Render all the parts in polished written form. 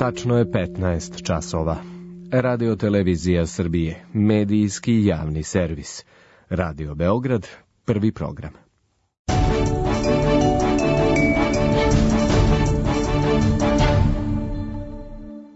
Tačno je 15 časova. Radio Televizija Srbije, medijski javni servis. Radio Beograd, prvi program.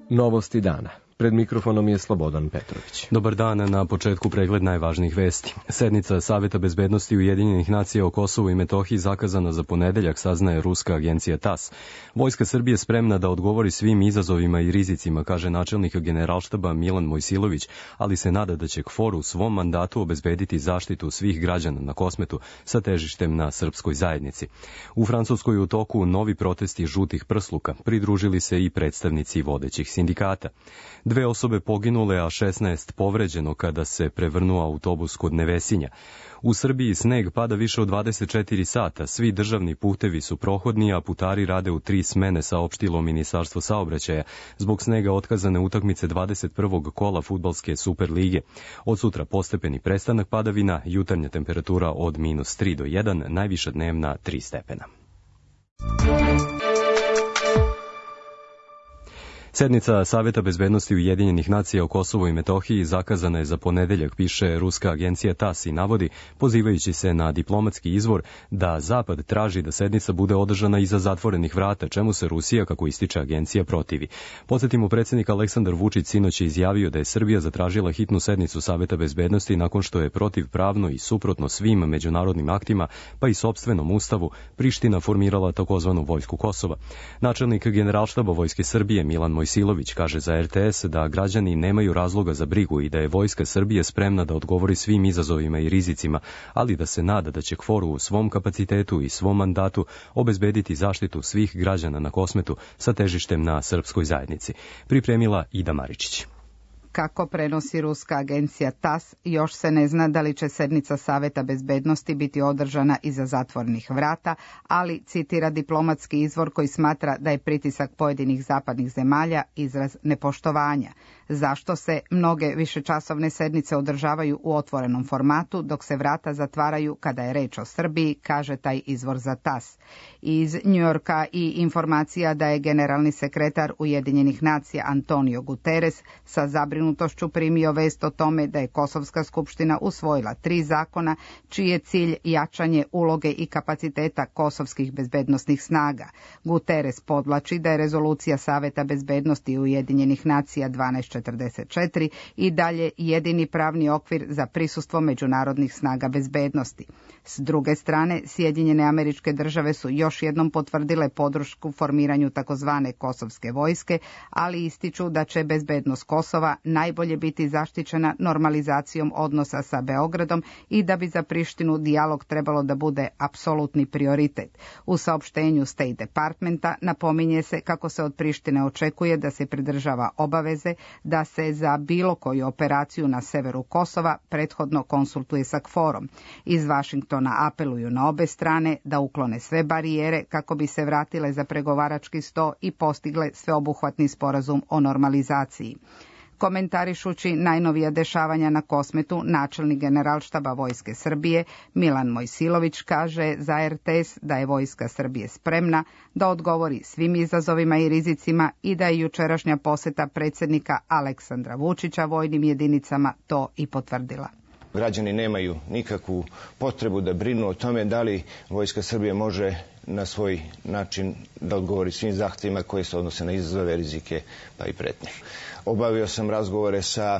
Novosti dana. Pred mikrofonom je Slobodan Petrović. Dobar dan, na početku pregled najvažnijih vesti. Sednica Saveta bezbednosti Ujedinjenih nacija o Kosovu i Metohiji zakazana za ponedeljak, saznaje ruska agencija TASS. Vojska Srbije spremna da odgovori svim izazovima i rizicima, kaže načelnik Generalštaba Milan Mojsilović, ali se nada da će KFOR u svom mandatu obezbediti zaštitu svih građana na Kosmetu sa težištem na srpskoj zajednici. U Francuskoj u toku novi protesti žutih prsluka, pridružili se i predstavnici vodećih sindikata. 2 osobe poginule, a 16 povređeno kada se prevrnuo autobus kod Nevesinja. U Srbiji sneg pada više od 24 sata, svi državni putevi su prohodni, a putari rade u 3 smene, saopštilo Ministarstvo saobraćaja. Zbog snega otkazane utakmice 21. kola fudbalske Super lige. Od sutra postepeni prestanak padavina, jutarnja temperatura od -3 do 1, najviša dnevna 3 stepena. Sednica Saveta bezbednosti Ujedinjenih nacija o Kosovu i Metohiji zakazana je za ponedeljak, piše ruska agencija TASS i navodi, pozivajući se na diplomatski izvor, da Zapad traži da sednica bude održana iza zatvorenih vrata, čemu se Rusija, kako ističe agencija, protivi. Podsjetimo, predsjednik Aleksandar Vučić sinoć je izjavio da je Srbija zatražila hitnu sednicu Saveta bezbednosti nakon što je protivpravno i suprotno svim međunarodnim aktima, pa i sopstvenom ustavu, Priština formirala takozvanu vojsku Kosova. Načelnik Generalštaba Vojske Srbije Milan Mojsilović kaže za RTS da građani nemaju razloga za brigu i da je Vojska Srbije spremna da odgovori svim izazovima i rizicima, ali da se nada da će KFOR u svom kapacitetu i svom mandatu obezbediti zaštitu svih građana na Kosmetu sa težištem na srpskoj zajednici. Pripremila Ida Maričić. Kako prenosi ruska agencija TASS, još se ne zna da li će sednica Saveta bezbednosti biti održana iza zatvorenih vrata, ali citira diplomatski izvor koji smatra da je pritisak pojedinih zapadnih zemalja izraz nepoštovanja. Zašto se mnoge višečasovne sednice održavaju u otvorenom formatu, dok se vrata zatvaraju kada je reč o Srbiji, kaže taj izvor za TASS. Iz Njujorka i informacija da je generalni sekretar Ujedinjenih nacija Antonio Guterres sa zabrinutošću primio vest o tome da je Kosovska skupština usvojila 3 zakona, čiji je cilj jačanje uloge i kapaciteta kosovskih bezbednosnih snaga. Guterres podvlači da je rezolucija Saveta bezbednosti Ujedinjenih nacija 1244 i dalje jedini pravni okvir za prisustvo međunarodnih snaga bezbednosti. S druge strane, Sjedinjene Američke Države su još jednom potvrdile podršku formiranju takozvane kosovske vojske, ali ističu da će bezbednost Kosova najbolje biti zaštićena normalizacijom odnosa sa Beogradom i da bi za Prištinu dijalog trebalo da bude apsolutni prioritet. U saopštenju State Departmenta napominje se kako se od Prištine očekuje da se pridržava obaveze da se za bilo koju operaciju na severu Kosova prethodno konsultuje sa KFOR-om. Iz Vašingtona apeluju na obe strane da uklone sve barijere kako bi se vratile za pregovarački sto i postigle sveobuhvatni sporazum o normalizaciji. Komentarišući najnovija dešavanja na Kosmetu, načelnik Generalštaba Vojske Srbije Milan Mojsilović kaže za RTS da je Vojska Srbije spremna da odgovori svim izazovima i rizicima i da je jučerašnja poseta predsjednika Aleksandra Vučića vojnim jedinicama to i potvrdila. Građani nemaju nikakvu potrebu da brinu o tome da li Vojska Srbije može na svoj način da odgovori svim zahtjevima koje se odnose na izazove, rizike pa i pretnje. Obavio sam razgovore sa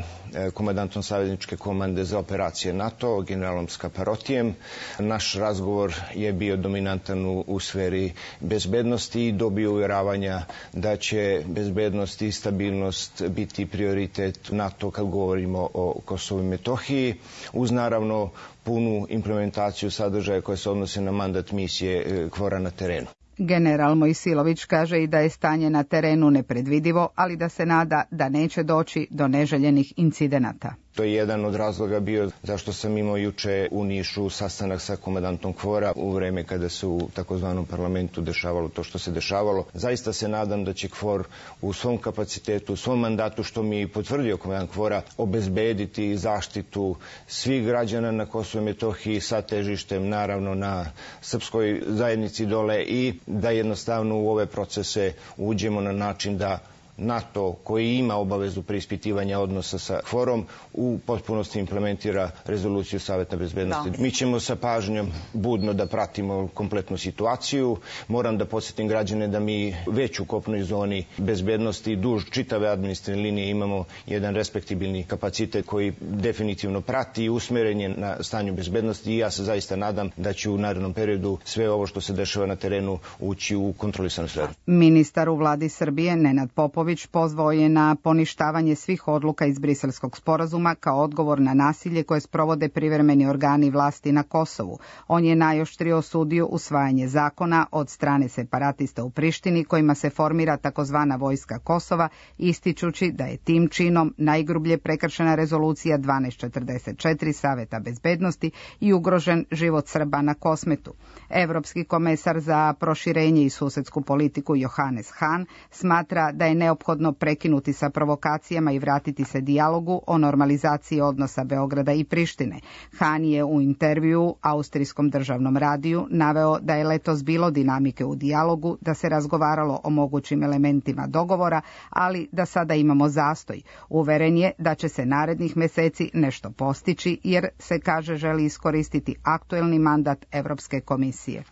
komandantom savezničke komande za operacije NATO, generalom Skaparotijem. Naš razgovor je bio dominantan u sferi bezbednosti i dobio uvjeravanja da će bezbednost i stabilnost biti prioritet NATO kad govorimo o Kosovu i Metohiji, uz naravno punu implementaciju sadržaja koje se odnose na mandat misije KFOR-a na terenu. General Mojsilović kaže i da je stanje na terenu nepredvidivo, ali da se nada da neće doći do neželjenih incidenata. To je jedan od razloga bio zašto sam imao juče u Nišu sastanak sa komandantom KFOR-a u vreme kada se u takozvanom parlamentu dešavalo to što se dešavalo. Zaista se nadam da će KFOR u svom kapacitetu, u svom mandatu, što mi je potvrdio komandant KFOR-a, obezbediti zaštitu svih građana na Kosovu i Metohiji sa težištem naravno na srpskoj zajednici dole i da jednostavno u ove procese uđemo na način da NATO, koji ima obavezu preispitivanja odnosa sa KFOR-om, u potpunosti implementira rezoluciju Saveta bezbednosti. Mi ćemo sa pažnjom budno da pratimo kompletnu situaciju. Moram da podsjetim građane da mi već u kopnoj zoni bezbednosti duž čitave administrativne linije imamo jedan respektibilni kapacitet koji definitivno prati i usmeren je na stanju bezbednosti i ja se zaista nadam da će u narednom periodu sve ovo što se dešava na terenu ući u kontrolisanu sferu. Ministar u vladi Srbije Nenad Popović pozvao je na poništavanje svih odluka iz Briselskog sporazuma kao odgovor na nasilje koje sprovode privremeni organi vlasti na Kosovu. On je najoštrije osudio usvajanje zakona od strane separatista u Prištini kojima se formira takozvana vojska Kosova, ističući da je tim činom najgrublje prekršena rezolucija 1244 Saveta bezbednosti i ugrožen život Srba na Kosmetu. Evropski komesar za proširenje i susedsku politiku Johannes Hahn smatra da je neophodno prekinuti sa provokacijama i vratiti se dijalogu o normalizaciji odnosa Beograda i Prištine. Hahn je u intervjuu Austrijskom državnom radiju naveo da je letos bilo dinamike u dijalogu, da se razgovaralo o mogućim elementima dogovora, ali da sada imamo zastoj. Uveren je da će se narednih meseci nešto postići jer se, kaže, želi iskoristiti aktuelni mandat Evropske komisije.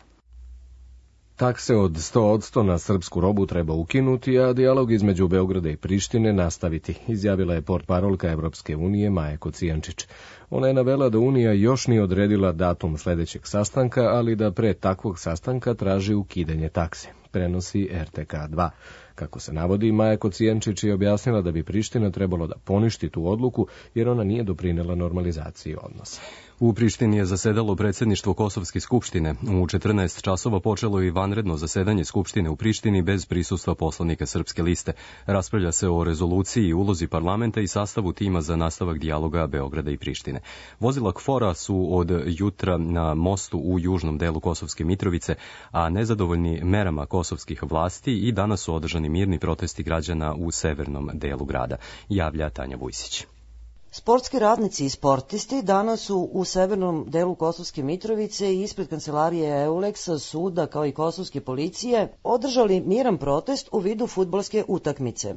Takse od 100% na srpsku robu treba ukinuti, a dijalog između Beograda i Prištine nastaviti, izjavila je portparolka Evropske unije Maja Kocijančić. Ona je navela da Unija još nije odredila datum sledećeg sastanka, ali da pre takvog sastanka traži ukidanje takse, prenosi RTK2. Kako se navodi, Maja Kocijančić je objasnila da bi Priština trebalo da poništi tu odluku jer ona nije doprinela normalizaciji odnosa. U Prištini je zasedalo predsjedništvo Kosovske skupštine. U 14 časova počelo i vanredno zasedanje skupštine u Prištini bez prisustva poslanika Srpske liste. Raspravlja se o rezoluciji i ulozi parlamenta i sastavu tima za nastavak dijaloga Beograda i Prištine. Vozila KFOR-a su od jutra na mostu u južnom delu Kosovske Mitrovice, a nezadovoljni merama kosovskih vlasti i danas su održani mirni protesti građana u severnom delu grada, javlja Tanja Vujsić. Sportski radnici i sportisti danas su u severnom delu Kosovske Mitrovice i ispred kancelarije EULEX-a, suda kao i kosovske policije održali miran protest u vidu fudbalske utakmice.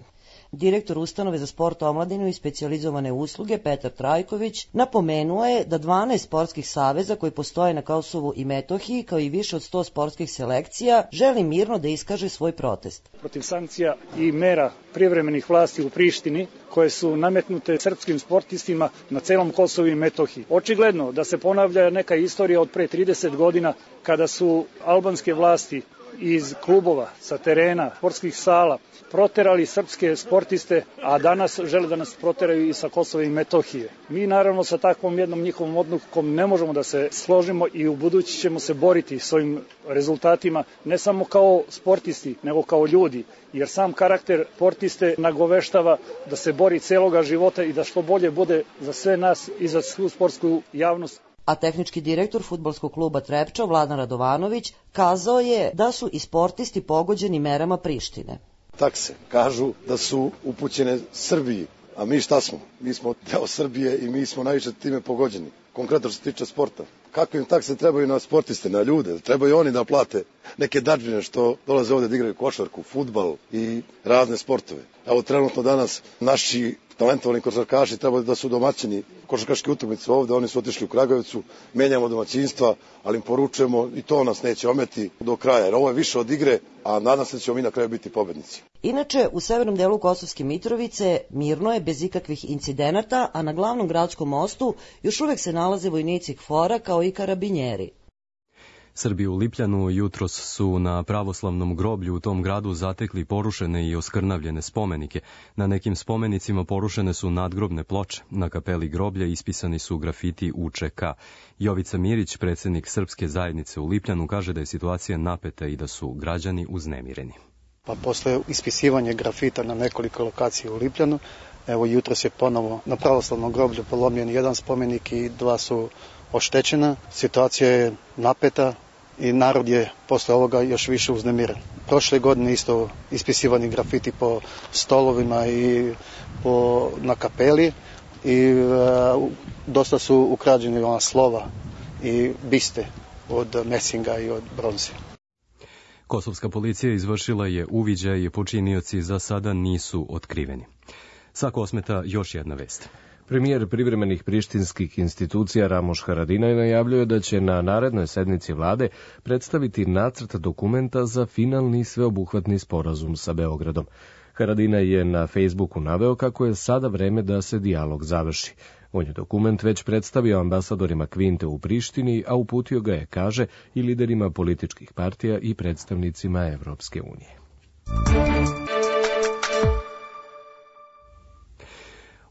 Direktor Ustanove za sport, omladinu i specijalizovane usluge Petar Trajković napomenuo je da 12 sportskih saveza koji postoje na Kosovu i Metohiji, kao i više od 100 sportskih selekcija, želi mirno da iskaže svoj protest. Protiv sankcija i mera privremenih vlasti u Prištini koje su nametnute srpskim sportistima na celom Kosovu i Metohiji. Očigledno da se ponavlja neka istorija od pre 30 godina kada su albanske vlasti iz klubova, sa terena, sportskih sala proterali srpske sportiste, a danas žele da nas proteraju i sa Kosova i Metohije. Mi naravno sa takvom jednom njihovom odlukom ne možemo da se složimo i u budući ćemo se boriti s ovim rezultatima, ne samo kao sportisti, nego kao ljudi, jer sam karakter sportiste nagoveštava da se bori celoga života i da što bolje bude za sve nas i za svu sportsku javnost. A tehnički direktor fudbalskog kluba Trepča, Vladan Radovanović, kazao je da su i sportisti pogođeni merama Prištine. Takse kažu da su upućene Srbiji, a mi šta smo? Mi smo deo Srbije i mi smo najviše time pogođeni. Konkretno što se tiče sporta. Kakve im takse trebaju na sportiste, na ljude? Trebaju oni da plate neke dadžbine što dolaze ovde da igraju košarku, fudbal i razne sportove. Evo trenutno danas naši talentovani košarkaši trebaju da su domaćini košarkaške utakmice ovde, oni su otišli u Kragovicu, menjamo domaćinstva, ali im poručujemo i to nas neće ometi do kraja, jer ovo je više od igre, a nadam se da ćemo mi na kraju biti pobednici. Inače, u severnom delu Kosovske Mitrovice mirno je bez ikakvih incidenata, a na glavnom gradskom mostu još uvek se nalaze vojnici KFOR-a kao i karabinjeri. Srbi u Lipljanu jutros su na pravoslavnom groblju u tom gradu zatekli porušene i oskrnavljene spomenike. Na nekim spomenicima porušene su nadgrobne ploče. Na kapeli groblja ispisani su grafiti UČK. Jovica Mirić, predsjednik Srpske zajednice u Lipljanu, kaže da je situacija napeta i da su građani uznemireni. Pa posle ispisivanja grafita na nekoliko lokacija u Lipljanu, evo jutros je ponovo na pravoslavnom groblju polomljen jedan spomenik i dva su oštećena. Situacija je napeta i narod je posle ovoga još više uznemiren. Prošle godine isto ispisivani grafiti po stolovima i na kapeli i dosta su ukrađeni ona slova i biste od mesinga i od bronze. Kosovska policija izvršila je uviđaj i počinioci za sada nisu otkriveni. Sa Kosmeta još jedna vest. Premijer privremenih prištinskih institucija Ramoš Haradinaj najavljuje da će na narednoj sednici vlade predstaviti nacrt dokumenta za finalni sveobuhvatni sporazum sa Beogradom. Haradinaj je na Facebooku naveo kako je sada vreme da se dijalog završi. On je dokument već predstavio ambasadorima Kvinte u Prištini, a uputio ga je, kaže, i liderima političkih partija i predstavnicima Evropske unije.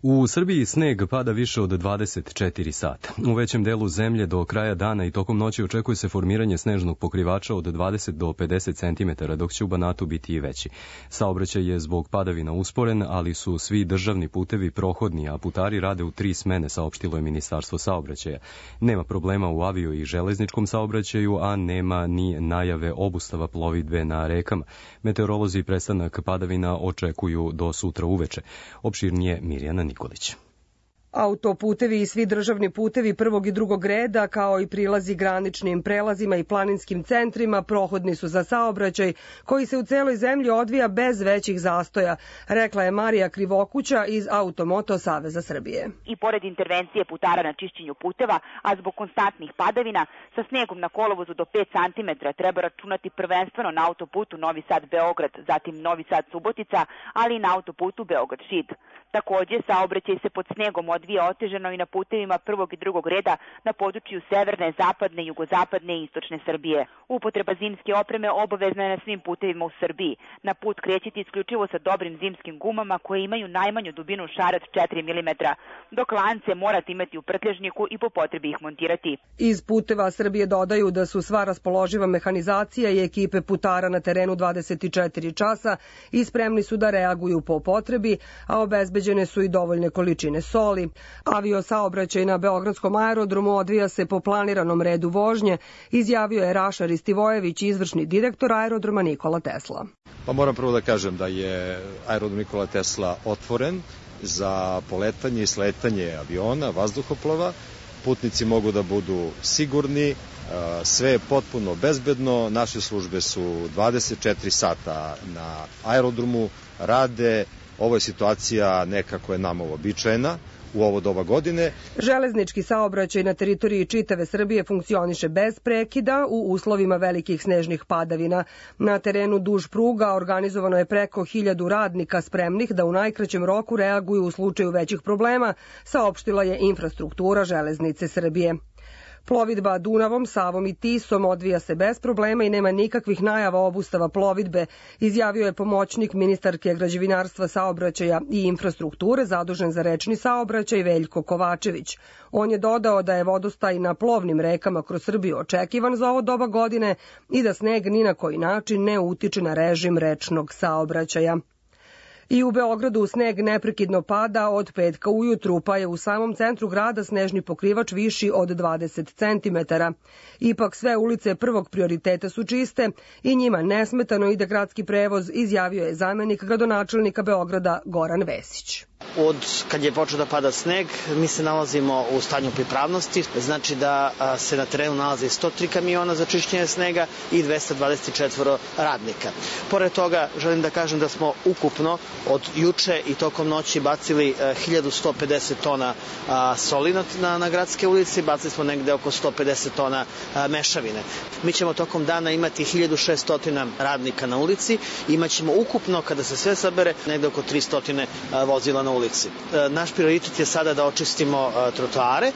U Srbiji sneg pada više od 24 sata. U većem delu zemlje do kraja dana i tokom noći očekuje se formiranje snežnog pokrivača od 20 do 50 cm, dok će u Banatu biti i veći. Saobraćaj je zbog padavina usporen, ali su svi državni putevi prohodni, a putari rade u 3 smene, saopštilo je Ministarstvo saobraćaja. Nema problema u avio i železničkom saobraćaju, a nema ni najave obustava plovidbe na rekama. Meteorolozi prestanak padavina očekuju do sutra uveče. Opširnije Mirjana Nikolić. Autoputevi i svi državni putevi prvog i drugog reda, kao i prilazi graničnim prelazima i planinskim centrima, prohodni su za saobraćaj, koji se u celoj zemlji odvija bez većih zastoja, rekla je Marija Krivokuća iz Automoto Saveza Srbije. I pored intervencije putara na čišćenju puteva, a zbog konstantnih padavina, sa snegom na kolovozu do 5 cm treba računati prvenstveno na autoputu Novi Sad-Beograd, zatim Novi Sad-Subotica, ali i na autoputu Beograd-Šid. Takođe, saobraćaj se pod snegom odvija otežano i na putevima prvog i drugog reda na području severne, zapadne, jugozapadne i istočne Srbije. Upotreba zimske opreme obavezna je na svim putevima u Srbiji. Na put krećiti isključivo sa dobrim zimskim gumama koje imaju najmanju dubinu šara od 4 mm, dok lance morate imati u prtljažniku i po potrebi ih montirati. Iz Puteva Srbije dodaju da su sva raspoloživa mehanizacija i ekipe putara na terenu 24 časa i spremni su da reaguju po potrebi, a obezbeđene su i dovoljne količine soli. Avio saobraćaj na Beogradskom aerodromu odvija se po planiranom redu vožnje, izjavio je Raša Ristivojević, izvršni direktor aerodroma Nikola Tesla. Pa moram prvo da kažem da je aerodrom Nikola Tesla otvoren za poletanje i sletanje aviona, vazduhoplova. Putnici mogu da budu sigurni, sve je potpuno bezbedno, naše službe su 24 sata na aerodromu, rade, ovo je situacija nekako je nama uobičajena u ovo doba godine. Železnički saobraćaj na teritoriji čitave Srbije funkcioniše bez prekida u uslovima velikih snežnih padavina. Na terenu duž pruga organizovano je preko 1000 radnika spremnih da u najkraćem roku reaguju u slučaju većih problema, saopštila je Infrastruktura Železnice Srbije. Plovidba Dunavom, Savom i Tisom odvija se bez problema i nema nikakvih najava obustava plovidbe, izjavio je pomoćnik ministarke građevinarstva, saobraćaja i infrastrukture zadužen za rečni saobraćaj Veljko Kovačević. On je dodao da je vodostaj na plovnim rekama kroz Srbiju očekivan za ovo doba godine i da sneg ni na koji način ne utiče na režim rečnog saobraćaja. I u Beogradu sneg neprekidno pada od petka ujutru, pa je u samom centru grada snežni pokrivač viši od 20 cm. Ipak sve ulice prvog prioriteta su čiste i njima nesmetano ide gradski prevoz, izjavio je zamenik gradonačelnika Beograda Goran Vesić. Od kad je počeo da pada sneg, mi se nalazimo u stanju pripravnosti, znači da se na terenu nalaze 103 kamiona za čišćenje snega i 224 radnika. Pored toga, želim da kažem da smo ukupno od juče i tokom noći bacili 1150 tona soli na gradske ulici, bacili smo negde oko 150 tona mešavine. Mi ćemo tokom dana imati 1600 radnika na ulici, imaćemo ukupno, kada se sve sabere, negde oko 300 vozila na ulici. Naš prioritet je sada da očistimo trotoare,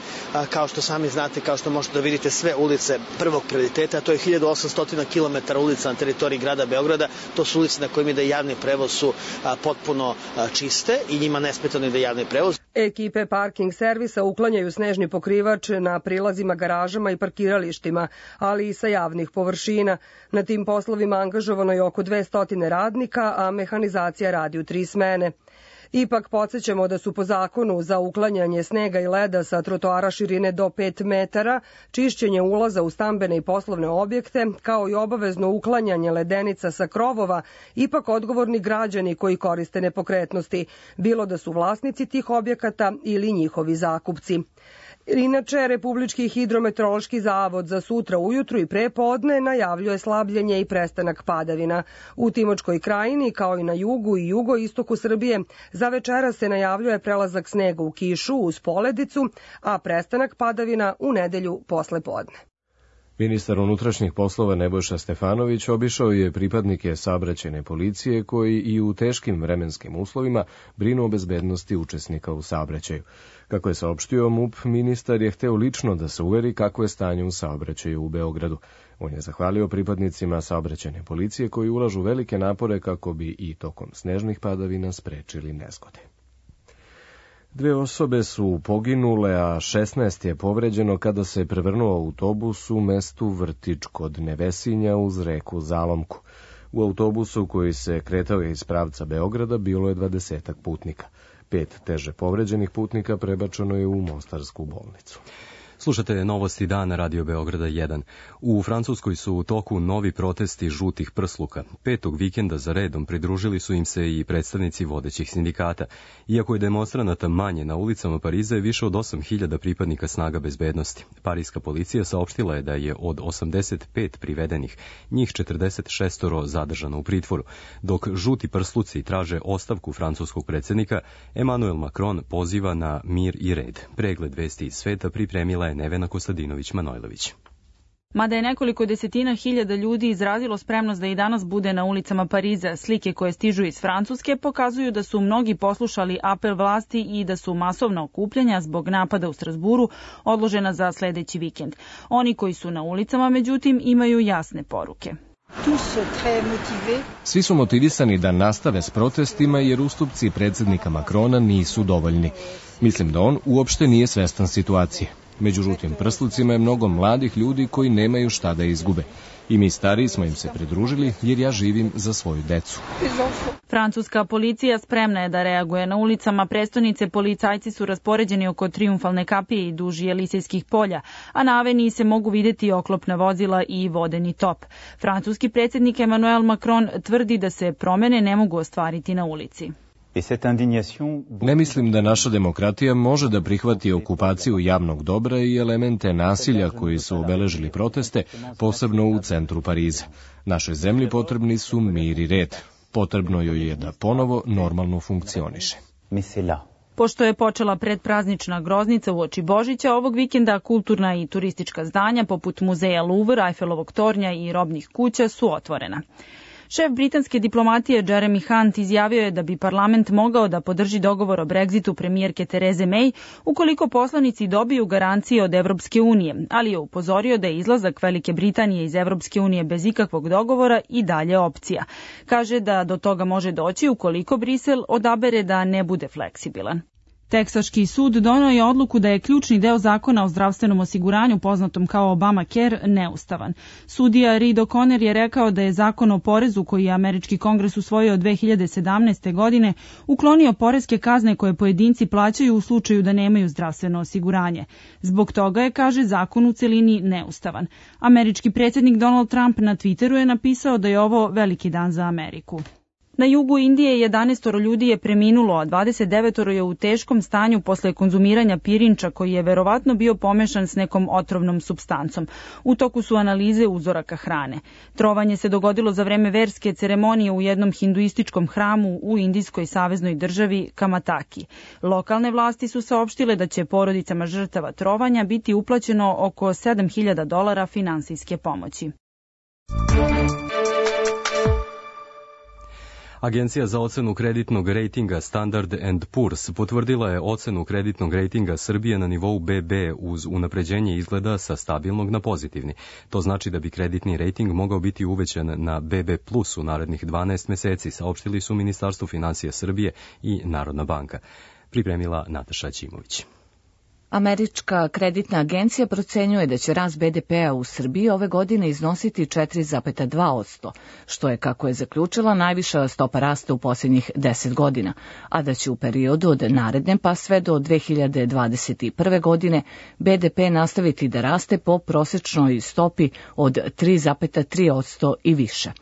kao što sami znate, kao što možete da vidite sve ulice prvog prioriteta, to je 1800 km ulica na teritoriji grada Beograda, to su ulice na kojima ide javni prevoz su potpuno čiste i njima nesmetano ide javni prevoz. Ekipe parking servisa uklanjaju snežni pokrivač na prilazima, garažama i parkiralištima, ali i sa javnih površina. Na tim poslovima angažovano je oko 200 radnika, a mehanizacija radi u 3 smene. Ipak podsjećamo da su po zakonu za uklanjanje snega i leda sa trotoara širine do 5 metara, čišćenje ulaza u stambene i poslovne objekte, kao i obavezno uklanjanje ledenica sa krovova, ipak odgovorni građani koji koriste nepokretnosti, bilo da su vlasnici tih objekata ili njihovi zakupci. Inače, Republički hidrometeorološki zavod za sutra ujutru i prepodne najavljuje slabljenje i prestanak padavina. U Timočkoj krajini, kao i na jugu i jugoistoku Srbije, za večera se najavljuje prelazak snega u kišu uz poledicu, a prestanak padavina u nedelju posle podne. Ministar unutrašnjih poslova Nebojša Stefanović obišao je pripadnike saobraćajne policije koji i u teškim vremenskim uslovima brinu o bezbednosti učesnika u saobraćaju. Kako je saopštio MUP, ministar je hteo lično da se uveri kako je stanje u saobraćaju u Beogradu. On je zahvalio pripadnicima saobraćajne policije koji ulažu velike napore kako bi i tokom snežnih padavina sprečili nezgode. 2 osobe su poginule, a 16 je povređeno kada se prevrnuo autobus u mestu Vrtić kod Nevesinja uz reku Zalomku. U autobusu koji se kretao iz pravca Beograda bilo je 20 putnika. 5 teže povređenih putnika prebačeno je u Mostarsku bolnicu. Slušate Novosti dana Radio Beograda 1. U Francuskoj su u toku novi protesti žutih prsluka. 5. vikenda za redom pridružili su im se i predstavnici vodećih sindikata. Iako je demonstranata manje, na ulicama Pariza je više od 8.000 pripadnika snaga bezbednosti. Parijska policija saopštila je da je od 85 privedenih, njih 46 zadržano u pritvoru. Dok žuti prsluci traže ostavku francuskog predsjednika, Emmanuel Macron poziva na mir i red. Pregled vesti iz sveta pripremila je Nevena Kostadinović-Manojlović. Mada je nekoliko desetina hiljada ljudi izrazilo spremnost da i danas bude na ulicama Pariza, slike koje stižu iz Francuske pokazuju da su mnogi poslušali apel vlasti i da su masovna okupljanja zbog napada u Strasburu odložena za sledeći vikend. Oni koji su na ulicama, međutim, imaju jasne poruke. Svi su motivisani da nastave s protestima jer ustupci predsjednika Makrona nisu dovoljni. Mislim da on uopšte nije svestan situacije. Među žutim prslucima je mnogo mladih ljudi koji nemaju šta da izgube. I mi stariji smo im se pridružili jer ja živim za svoju decu. Francuska policija spremna je da reaguje. Na ulicama prestonice policajci su raspoređeni oko Trijumfalne kapije i duž Jelisejskih polja, a na aveniji se mogu videti oklopna vozila i vodeni top. Francuski predsjednik Emmanuel Macron tvrdi da se promene ne mogu ostvariti na ulici. Ne mislim da naša demokratija može da prihvati okupaciju javnog dobra i elemente nasilja koji su obeležili proteste, posebno u centru Pariza. Našoj zemlji potrebni su mir i red. Potrebno joj je da ponovo normalno funkcioniše. Pošto je počela predpraznična groznica uoči Božića, ovog vikenda kulturna i turistička zdanja poput muzeja Louvre, Eiffelovog tornja i robnih kuća su otvorena. Šef britanske diplomatije Jeremy Hunt izjavio je da bi parlament mogao da podrži dogovor o Brexitu premijerke Tereze May ukoliko poslanici dobiju garancije od Evropske unije, ali je upozorio da je izlazak Velike Britanije iz Evropske unije bez ikakvog dogovora i dalje opcija. Kaže da do toga može doći ukoliko Brisel odabere da ne bude fleksibilan. Teksaški sud doneo je odluku da je ključni deo zakona o zdravstvenom osiguranju, poznatom kao Obamacare, neustavan. Sudija Reed O'Connor je rekao da je zakon o porezu koji je američki kongres usvojio 2017. godine uklonio poreske kazne koje pojedinci plaćaju u slučaju da nemaju zdravstveno osiguranje. Zbog toga je, kaže, zakon u celini neustavan. Američki predsjednik Donald Trump na Twitteru je napisao da je ovo veliki dan za Ameriku. Na jugu Indije 11 ljudi je preminulo, a 29 je u teškom stanju posle konzumiranja pirinča koji je verovatno bio pomešan s nekom otrovnom supstancom. U toku su analize uzoraka hrane. Trovanje se dogodilo za vreme verske ceremonije u jednom hinduističkom hramu u indijskoj saveznoj državi Kamataki. Lokalne vlasti su saopštile da će porodicama žrtava trovanja biti uplaćeno oko $7.000 finansijske pomoći. Agencija za ocenu kreditnog rejtinga Standard & Poor's potvrdila je ocenu kreditnog rejtinga Srbije na nivou BB uz unapređenje izgleda sa stabilnog na pozitivni. To znači da bi kreditni rejting mogao biti uvećan na BB+ u narednih 12 meseci, saopštili su Ministarstvo finansija Srbije i Narodna banka. Pripremila Nataša Ćimović. Američka kreditna agencija procenjuje da će rast BDP-a u Srbiji ove godine iznositi 4,2%, što je, kako je zaključila, najviša stopa rasta u posljednjih 10 godina, a da će u periodu od naredne pa sve do 2021. godine BDP nastaviti da raste po prosečnoj stopi od 3,3% i više.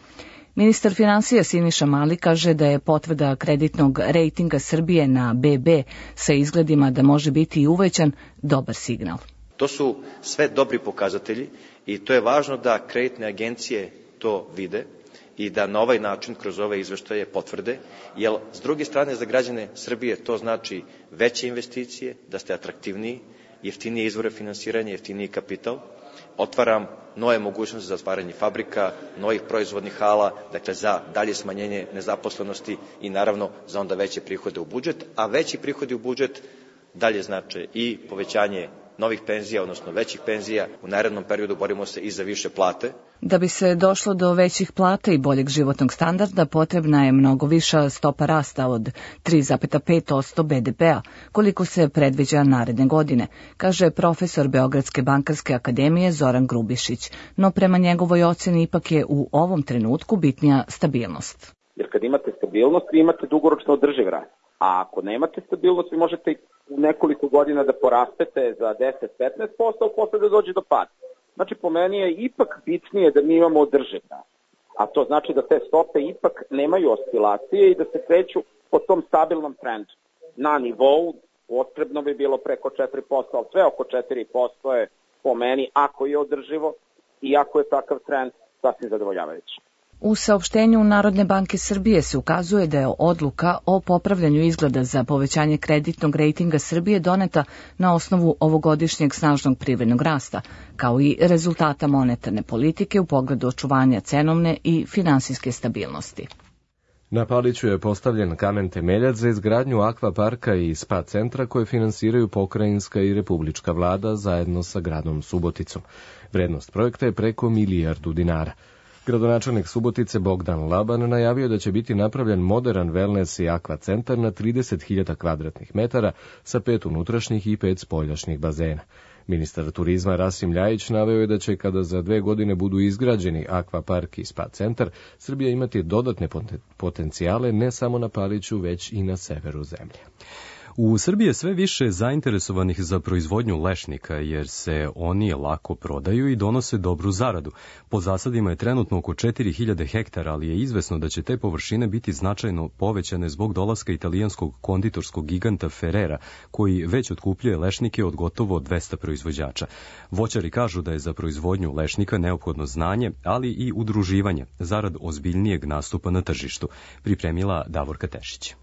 Ministar finansija Siniša Mali kaže da je potvrda kreditnog rejtinga Srbije na BB sa izgledima da može biti i uvećan dobar signal. To su sve dobri pokazatelji i to je važno da kreditne agencije to vide i da na ovaj način kroz ove izveštaje potvrde, jer s druge strane za građane Srbije to znači veće investicije, da ste atraktivniji, jeftinije izvore finansiranja, jeftiniji kapital, otvaram nove mogućnosti za otvaranje fabrika, novih proizvodnih hala, dakle za dalje smanjenje nezaposlenosti i naravno za onda veće prihode u budžet, a veći prihodi u budžet dalje znače i povećanje novih penzija, odnosno većih penzija. U narednom periodu borimo se i za više plate. Da bi se došlo do većih plata i boljeg životnog standarda, potrebna je mnogo viša stopa rasta od 3,5% BDP-a, koliko se predviđa naredne godine, kaže profesor Beogradske bankarske akademije Zoran Grubišić. No prema njegovoj oceni ipak je u ovom trenutku bitnija stabilnost. Jer kad imate stabilnost, vi imate dugoročno održiv rast. A ako nemate stabilnost, vi možete u nekoliko godina da porastete za 10-15%, a posle da dođe do pada. Znači, po meni je ipak bitnije da mi imamo održiv rast. A to znači da te stope ipak nemaju oscilacije i da se kreću po tom stabilnom trendu. Na nivou potrebno bi bilo preko 4%, ali sve oko 4% je po meni, ako je održivo i ako je takav trend, sasvim zadovoljavajući. U saopštenju Narodne banke Srbije se ukazuje da je odluka o popravljanju izgleda za povećanje kreditnog rejtinga Srbije doneta na osnovu ovogodišnjeg snažnog privrednog rasta, kao i rezultata monetarne politike u pogledu očuvanja cenovne i finansijske stabilnosti. Na Paliću je postavljen kamen temeljac za izgradnju akvaparka i spa centra koje finansiraju pokrajinska i republička vlada zajedno sa gradom Suboticom. Vrednost projekta je preko 1 milijardu dinara. Gradonačelnik Subotice Bogdan Laban najavio da će biti napravljen modern wellness i akva centar na 30.000 kvadratnih metara sa 5 unutrašnjih i 5 spoljašnjih bazena. Ministar turizma Rasim Ljajić naveo je da će kada za 2 godine budu izgrađeni akvapark i spa centar, Srbija imati dodatne potencijale ne samo na Paliću, već i na severu zemlje. U Srbiji je sve više zainteresovanih za proizvodnju lešnika, jer se oni lako prodaju i donose dobru zaradu. Po zasadima je trenutno oko 4000 hektara, ali je izvesno da će te površine biti značajno povećane zbog dolaska italijanskog konditorskog giganta Ferrera, koji već otkupljuje lešnike od gotovo 200 proizvođača. Voćari kažu da je za proizvodnju lešnika neophodno znanje, ali i udruživanje, zarad ozbiljnijeg nastupa na tržištu, pripremila Davorka Tešić.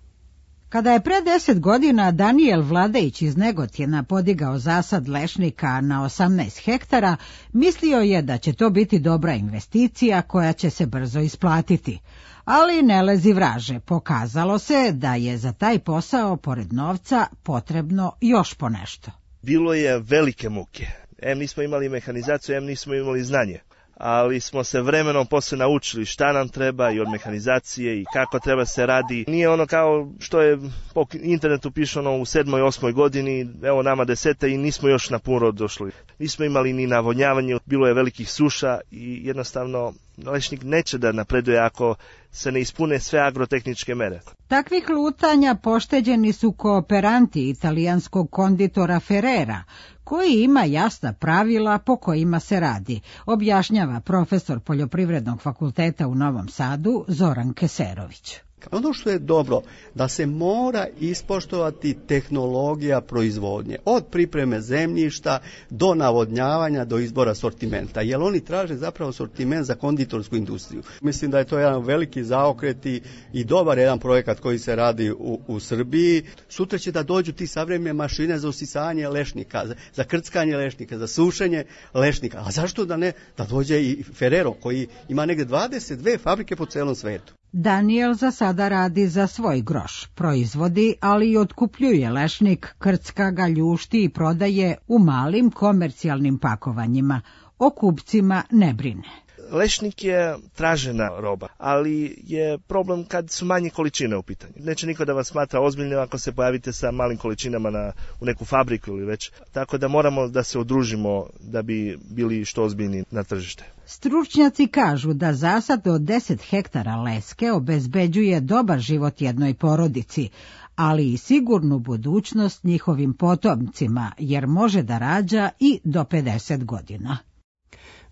Kada je pre 10 godina Danijel Vladejić iz Negotina podigao zasad lešnika na 18 hektara, mislio je da će to biti dobra investicija koja će se brzo isplatiti. Ali ne lezi vraže, pokazalo se da je za taj posao, pored novca, potrebno još ponešto. Bilo je velike muke. Nismo imali mehanizaciju, nismo imali znanje. Ali smo se vremenom posle naučili šta nam treba i od mehanizacije i kako treba se radi. Nije ono kao što je po internetu pišano u 7. i 8. godini, evo nama 10. i nismo još na pun rod došli. Nismo imali ni navodnjavanje, bilo je velikih suša i jednostavno lešnik neće da napreduje ako se ne ispune sve agrotehničke mere. Takvih lutanja pošteđeni su kooperanti italijanskog konditora Ferrera, koji ima jasna pravila po kojima se radi, objašnjava profesor Poljoprivrednog fakulteta u Novom Sadu Zoran Keserović. Ono što je dobro, da se mora ispoštovati tehnologija proizvodnje, od pripreme zemljišta do navodnjavanja, do izbora sortimenta, jer oni traže zapravo sortiment za konditorsku industriju. Mislim da je to jedan veliki zaokret i dobar jedan projekat koji se radi u Srbiji. Sutra će da dođu ti savremene mašine za usisavanje lešnika, za krckanje lešnika, za sušenje lešnika. A zašto da ne, da dođe i Ferrero koji ima negde 22 fabrike po celom svetu. Daniel za sada radi za svoj groš, proizvodi, ali i otkupljuje lešnik, krcka ga, ljušti i prodaje u malim komercijalnim pakovanjima. O kupcima ne brine. Lešnik je tražena roba, ali je problem kad su manje količine u pitanju. Neće niko da vas smatra ozbiljno ako se pojavite sa malim količinama u neku fabriku ili već. Tako da moramo da se udružimo da bi bili što ozbiljni na tržište. Stručnjaci kažu da zasad od 10 hektara leske obezbeđuje dobar život jednoj porodici, ali i sigurnu budućnost njihovim potomcima, jer može da rađa i do 50 godina.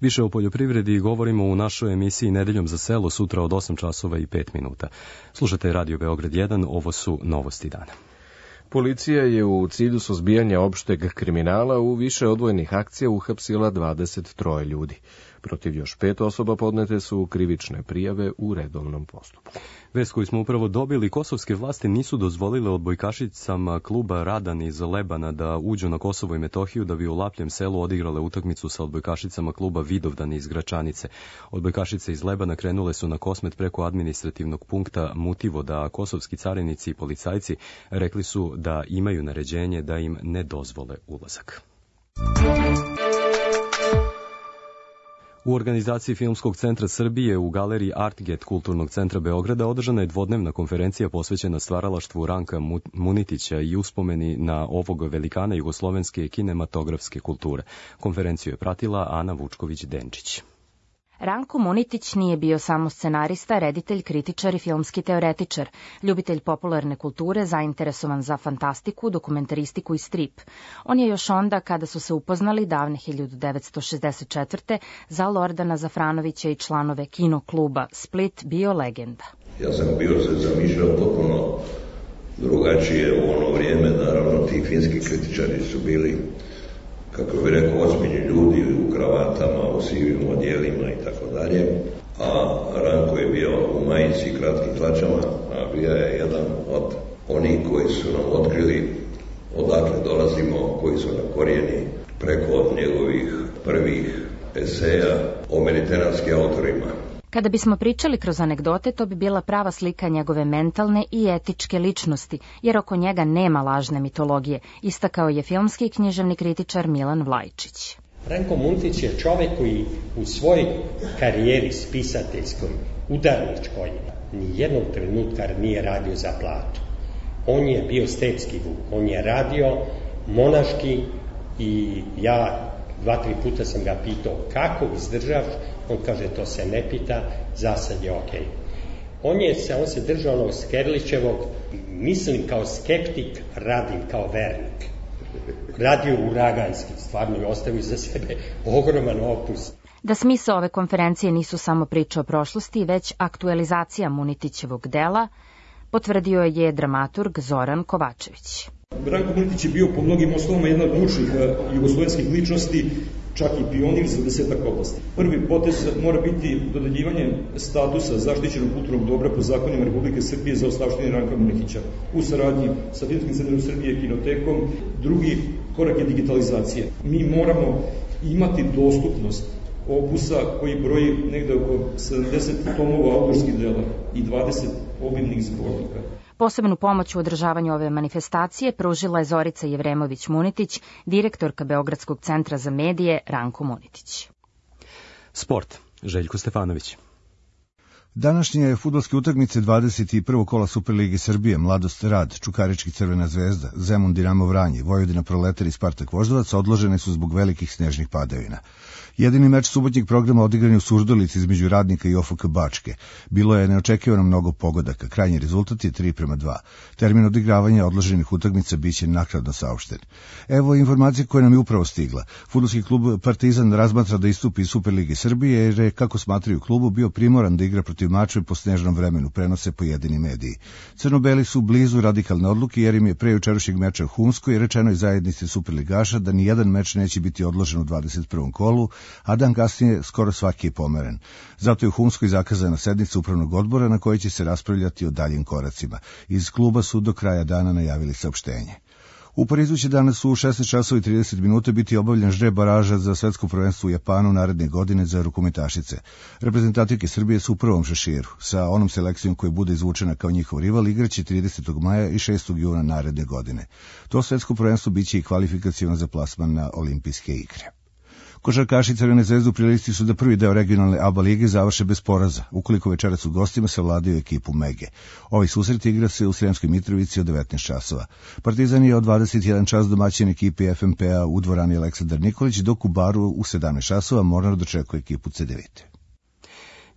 Više o poljoprivredi govorimo u našoj emisiji Nedeljom za selo sutra od 8 časova i 5 minuta. Slušajte Radio Beograd 1, ovo su novosti dana. Policija je u cilju suzbijanja opšteg kriminala u više odvojenih akcija uhapsila 23 ljudi. Protiv još 5 osoba podnete su krivične prijave u redovnom postupku. Vest koju smo upravo dobili, kosovske vlasti nisu dozvolile odbojkašicama kluba Radan iz Lebana da uđu na Kosovo i Metohiju da bi u Lapljem selu odigrale utakmicu sa odbojkašicama kluba Vidovdan iz Gračanice. Odbojkašice iz Lebana krenule su na Kosmet preko administrativnog punkta Mutivoda, a kosovski carinici i policajci rekli su da imaju naređenje da im ne dozvole ulazak. U organizaciji Filmskog centra Srbije u galeriji Artget Kulturnog centra Beograda održana je dvodnevna konferencija posvećena stvaralaštvu Ranka Munitića i uspomeni na ovog velikana jugoslovenske kinematografske kulture. Konferenciju je pratila Ana Vučković-Denčić. Ranko Munitić nije bio samo scenarista, reditelj, kritičar i filmski teoretičar, ljubitelj popularne kulture, zainteresovan za fantastiku, dokumentaristiku i strip. On je još onda, kada su se upoznali davne 1964. za Lordana Zafranovića i članove kino kluba Split, bio legenda. Ja sam bio se zamišljao potpuno drugačije u ono vrijeme, naravno ti finski kritičari su bili, kako bih rekao, ozbiljni ljudi u kravatama, u sivim odjelima i tako dalje, a Ranko je bio u majici i kratkim hlačama, a bio je jedan od onih koji su nam otkrili odakle dolazimo, koji su na korijeni preko njegovih prvih eseja o mediteranskim autorima. Kada bismo pričali kroz anegdote, to bi bila prava slika njegove mentalne i etičke ličnosti, jer oko njega nema lažne mitologije, istakao je filmski i književni kritičar Milan Vlajčić. Ranko Munitić je čovek koji u svojoj karijeri spisateljskoj, udarničkoj, ni jednog trenutka nije radio za platu. On je bio stepski vuk, on je radio monaški i ja 2-3 puta sam ga pitao kako izdržaš, on kaže to se ne pita, za sad je okej. On se držao onog Skerlićevog, mislim kao skeptik, radim kao vernik. Radio uraganski, stvarno je ostavio za sebe ogroman opus. Da smisao ove konferencije nisu samo priče o prošlosti, već aktualizacija Munitićevog dela, potvrdio je dramaturg Zoran Kovačević. Ranko Munitić je bio po mnogim osnovama jedna od ključnih jugoslovenskih ličnosti, čak i pionir za 10 oblasti. Prvi potez mora biti dodeljivanje statusa zaštićenog kulturnog dobra po zakonima Republike Srbije za ostavštine Ranka Munitića u saradnji sa Filmskim centrom Srbije i Kinotekom. Drugi korak je digitalizacija. Mi moramo imati dostupnost opusa koji broji negde oko 70 tomova autorskih dela i 20 obimnih zbornika. Posebnu pomoć u održavanju ove manifestacije pružila je Zorica Jevremović-Munitić, direktorka Beogradskog centra za medije Ranko Munitić. Sport. Željko Stefanović. Današnje fudbalske utakmice 21. kola Superlige Srbije, Mladost Rad, Čukarički Crvena zvezda, Zemun Dinamo Vranje, Vojvodina Proletar i Spartak Voždovac odložene su zbog velikih snežnih padavina. Jedini meč subotnjeg programa odigran je u Surdulici između Radnika i OFK Bačke. Bilo je neočekivano mnogo pogodaka. Krajnji rezultat je 3:2. Termin odigravanja odloženih utakmica biće naknadno saopšten. Evo informacije koje nam je upravo stigla. Fudbalski klub Partizan razmatra da istupi iz Superlige Srbije jer je, kako smatraju klubu, bio primoran da igra protiv Mačve po snežnom vremenu, prenose pojedini mediji. Crnobeli su blizu radikalne odluke jer im je pre jučerašnjeg meča u Humskoj rečenoj zajednici Superligaša da ni jedan meč neće biti odložen u 21. kolu, a dan kasnije skoro svaki je pomeren. Zato je u Humskoj zakazana sednica upravnog odbora na kojoj će se raspravljati o daljim koracima. Iz kluba su do kraja dana najavili saopštenje. U Parizu će danas u 16:30 biti obavljen žreb baraža za svetsko prvenstvo u Japanu naredne godine za rukometašice. Reprezentativke Srbije su u prvom šeširu. Sa onom selekcijom koja bude izvučena kao njihov rival igraće 30. maja i 6. juna naredne godine. To svetsko prvenstvo biće i kvalifikaciono za plasman na olimpijske igre. Košarkaši Crvene zvezde u prilici su da prvi deo regionalne ABA lige završe bez poraza, ukoliko večeras u gostima savladaju ekipu Mege. Ovaj susret igra se u Sremskoj Mitrovici od 19 časova. Partizan je od 21 čas domaćin ekipi FMP-a u dvorani Aleksandar Nikolić, dok u Baru u 17 časova Mornar dočekuje ekipu Cedevite.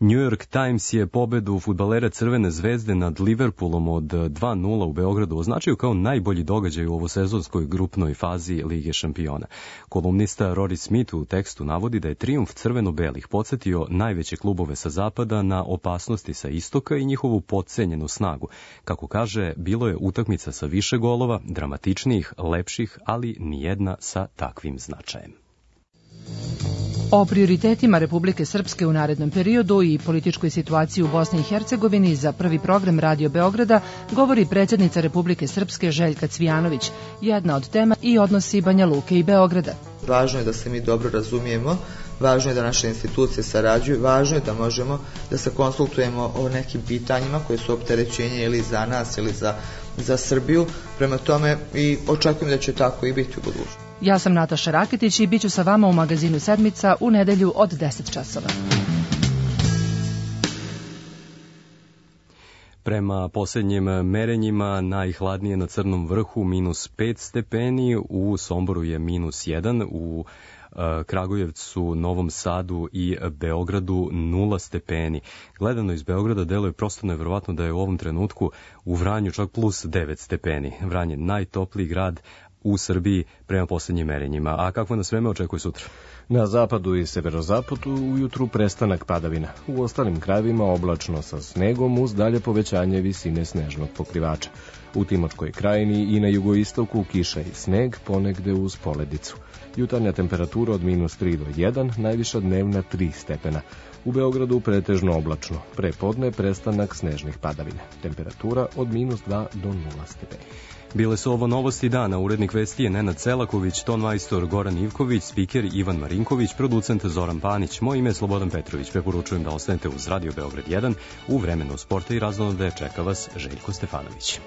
New York Times je pobedu fudbalera Crvene zvezde nad Liverpoolom od 2:0 u Beogradu označio kao najbolji događaj u ovosezonskoj grupnoj fazi Lige šampiona. Kolumnista Rory Smith u tekstu navodi da je trijumf crveno-belih podsjetio najveće klubove sa zapada na opasnosti sa istoka i njihovu potcenjenu snagu. Kako kaže, bilo je utakmica sa više golova, dramatičnijih, lepših, ali nijedna sa takvim značajem. O prioritetima Republike Srpske u narednom periodu i političkoj situaciji u Bosni i Hercegovini za prvi program Radio Beograda govori predsjednica Republike Srpske Željka Cvijanović. Jedna od tema i odnosi Banja Luke i Beograda. Važno je da se mi dobro razumijemo, važno je da naše institucije sarađuju, važno je da možemo da se konsultujemo o nekim pitanjima koje su opterećenje ili za nas ili za Srbiju. Prema tome i očekujem da će tako i biti u budućnosti. Ja sam Nataša Raketić i bit ću sa vama u magazinu Sedmica u nedelju od 10 časova. Prema posljednjim merenjima najhladnije na Crnom vrhu -5 stepeni, u Somboru je -1, u Kragujevcu, Novom Sadu i Beogradu 0 stepeni. Gledano iz Beograda deluje prosto nevjerovatno da je u ovom trenutku u Vranju čak +9 stepeni. Vranje najtopliji grad u Srbiji prema posljednjim merenjima. A kakvo nas vreme očekuje sutra? Na zapadu i severozapadu ujutru prestanak padavina. U ostalim krajevima oblačno sa snegom uz dalje povećanje visine snežnog pokrivača. U Timočkoj krajini i na jugoistoku kiša i sneg, ponegde uz poledicu. Jutarnja temperatura od -3 do 1, najviša dnevna 3 stepena. U Beogradu pretežno oblačno. Pre podne prestanak snežnih padavina. Temperatura od -2 do 0 stepena. Bile su ovo novosti dana. Urednik vesti je Nenad Celaković, tonmajstor Goran Ivković, spiker Ivan Marinković, producent Zoran Panić. Moje ime je Slobodan Petrović. Preporučujem da ostanete uz Radio Beograd 1. U vremenu sporta i raznolade čeka vas Željko Stefanović.